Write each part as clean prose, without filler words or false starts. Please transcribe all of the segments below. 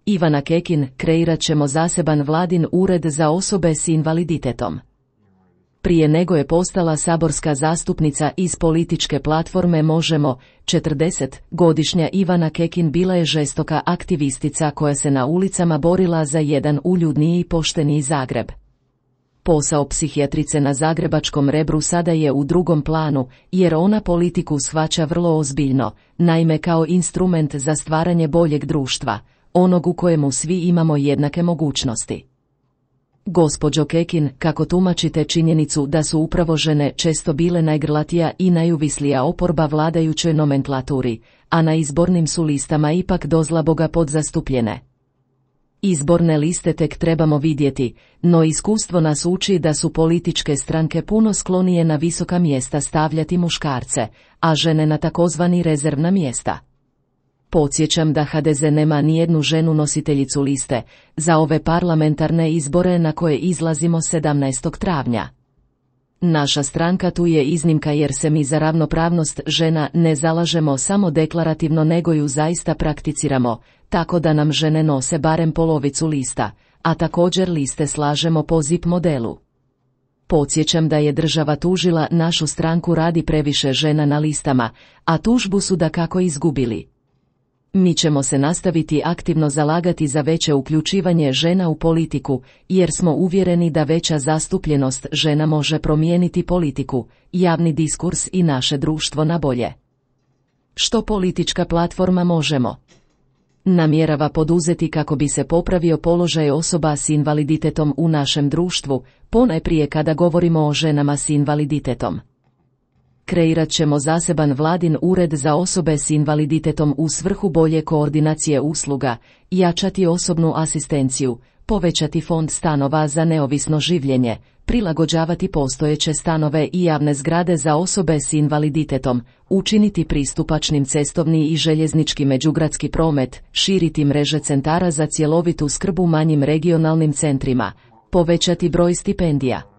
Ivana Kekin, kreirat ćemo zaseban vladin ured za osobe s invaliditetom. Prije nego je postala saborska zastupnica iz političke platforme Možemo, 40-godišnja Ivana Kekin bila je žestoka aktivistica koja se na ulicama borila za jedan uljudniji i pošteniji Zagreb. Posao psihijatrice na zagrebačkom Rebru sada je u drugom planu, jer ona politiku shvaća vrlo ozbiljno, naime kao instrument za stvaranje boljeg društva, onog u kojemu svi imamo jednake mogućnosti. Gospođo Kekin, kako tumačite činjenicu da su upravo žene često bile najgrlatija i najuvislija oporba vladajućoj nomenklaturi, a na izbornim su listama ipak dozlaboga podzastupljene? Izborne liste tek trebamo vidjeti, no iskustvo nas uči da su političke stranke puno sklonije na visoka mjesta stavljati muškarce, a žene na takozvani rezervna mjesta. Podsjećam da HDZ nema nijednu ženu nositeljicu liste za ove parlamentarne izbore na koje izlazimo 17. travnja. Naša stranka tu je iznimka jer se mi za ravnopravnost žena ne zalažemo samo deklarativno nego ju zaista prakticiramo, tako da nam žene nose barem polovicu lista, a također liste slažemo po ZIP modelu. Podsjećam da je država tužila našu stranku radi previše žena na listama, a tužbu su dakako izgubili. Mi ćemo se nastaviti aktivno zalagati za veće uključivanje žena u politiku, jer smo uvjereni da veća zastupljenost žena može promijeniti politiku, javni diskurs i naše društvo na bolje. Što politička platforma Možemo namjerava poduzeti kako bi se popravio položaj osoba s invaliditetom u našem društvu, ponajprije kada govorimo o ženama s invaliditetom? Kreirat ćemo zaseban vladin ured za osobe s invaliditetom u svrhu bolje koordinacije usluga, jačati osobnu asistenciju, povećati fond stanova za neovisno življenje, prilagođavati postojeće stanove i javne zgrade za osobe s invaliditetom, učiniti pristupačnim cestovni i željeznički međugradski promet, širiti mreže centara za cjelovitu skrb u manjim regionalnim centrima, povećati broj stipendija.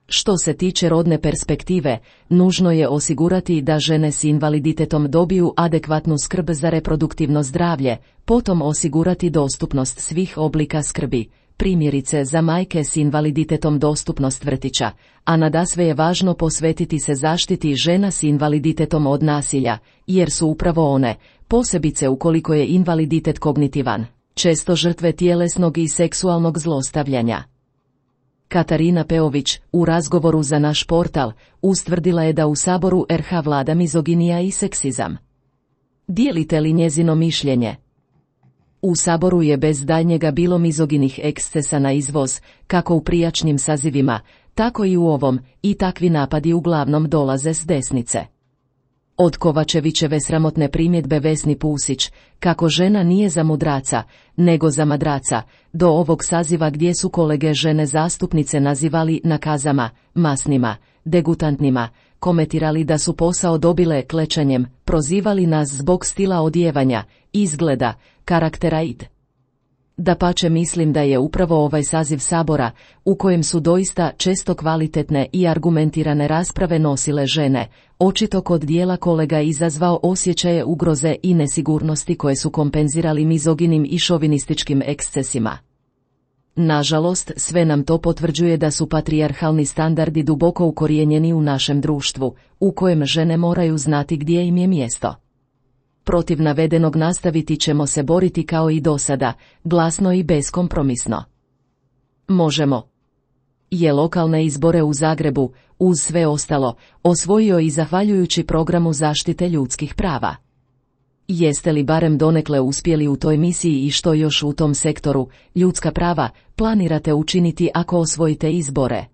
Što se tiče rodne perspektive, nužno je osigurati da žene s invaliditetom dobiju adekvatnu skrb za reproduktivno zdravlje, potom osigurati dostupnost svih oblika skrbi, primjerice za majke s invaliditetom dostupnost vrtića, a nadasve je važno posvetiti se zaštiti žena s invaliditetom od nasilja, jer su upravo one, posebice ukoliko je invaliditet kognitivan, često žrtve tjelesnog i seksualnog zlostavljanja. Katarina Peović, u razgovoru za naš portal, ustvrdila je da u Saboru RH vlada mizoginija i seksizam. Dijelite li njezino mišljenje? U Saboru je bez daljnjega bilo mizoginih ekscesa na izvoz, kako u prijašnjim sazivima, tako i u ovom, i takvi napadi uglavnom dolaze s desnice. Od Kovačevićeve sramotne primjedbe Vesni Pusić, kako žena nije za mudraca, nego za madraca, do ovog saziva gdje su kolege žene zastupnice nazivali nakazama, masnima, degutantnima, komentirali da su posao dobile klečanjem, prozivali nas zbog stila odjevanja, izgleda, karaktera id. Dapače, mislim da je upravo ovaj saziv Sabora, u kojem su doista često kvalitetne i argumentirane rasprave nosile žene, očito kod dijela kolega izazvao osjećaje ugroze i nesigurnosti koje su kompenzirali mizoginim i šovinističkim ekscesima. Nažalost, sve nam to potvrđuje da su patrijarhalni standardi duboko ukorijenjeni u našem društvu, u kojem žene moraju znati gdje im je mjesto. Protiv navedenog nastaviti ćemo se boriti kao i dosada, glasno i beskompromisno. Možemo je lokalne izbore u Zagrebu, uz sve ostalo, osvojio i zahvaljujući programu zaštite ljudskih prava. Jeste li barem donekle uspjeli u toj misiji i što još u tom sektoru, ljudska prava, planirate učiniti ako osvojite izbore?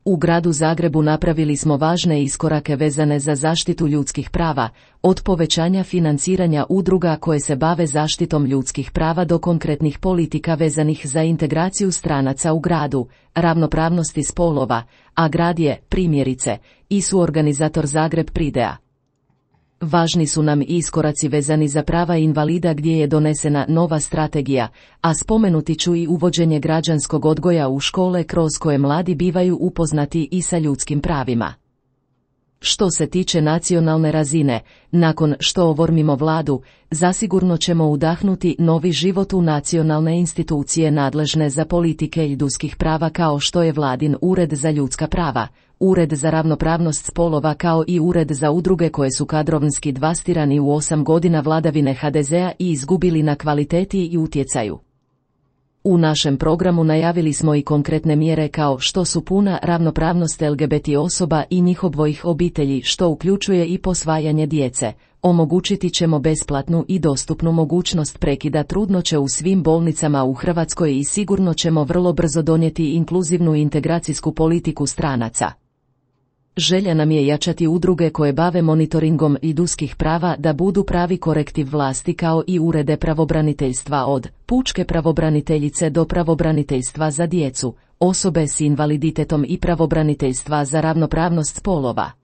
U gradu Zagrebu napravili smo važne iskorake vezane za zaštitu ljudskih prava, od povećanja financiranja udruga koje se bave zaštitom ljudskih prava do konkretnih politika vezanih za integraciju stranaca u gradu, ravnopravnosti spolova, a grad je, primjerice, i suorganizator Zagreb Pridea. Važni su nam i iskoraci vezani za prava invalida gdje je donesena nova strategija, a spomenuti ću i uvođenje građanskog odgoja u škole kroz koje mladi bivaju upoznati i sa ljudskim pravima. Što se tiče nacionalne razine, nakon što oformimo vladu, zasigurno ćemo udahnuti novi život u nacionalne institucije nadležne za politike ljudskih prava kao što je Vladin Ured za ljudska prava, Ured za ravnopravnost spolova kao i Ured za udruge koje su kadrovski devastirani u 8 godina vladavine HDZ-a i izgubili na kvaliteti i utjecaju. U našem programu najavili smo i konkretne mjere kao što su puna ravnopravnost LGBT osoba i njihovih obitelji, što uključuje i posvajanje djece. Omogućiti ćemo besplatnu i dostupnu mogućnost prekida trudnoće u svim bolnicama u Hrvatskoj i sigurno ćemo vrlo brzo donijeti inkluzivnu integracijsku politiku stranaca. Želja nam je jačati udruge koje bave monitoringom ljudskih prava da budu pravi korektiv vlasti kao i urede pravobraniteljstva od pučke pravobraniteljice do pravobraniteljstva za djecu, osobe s invaliditetom i pravobraniteljstva za ravnopravnost spolova.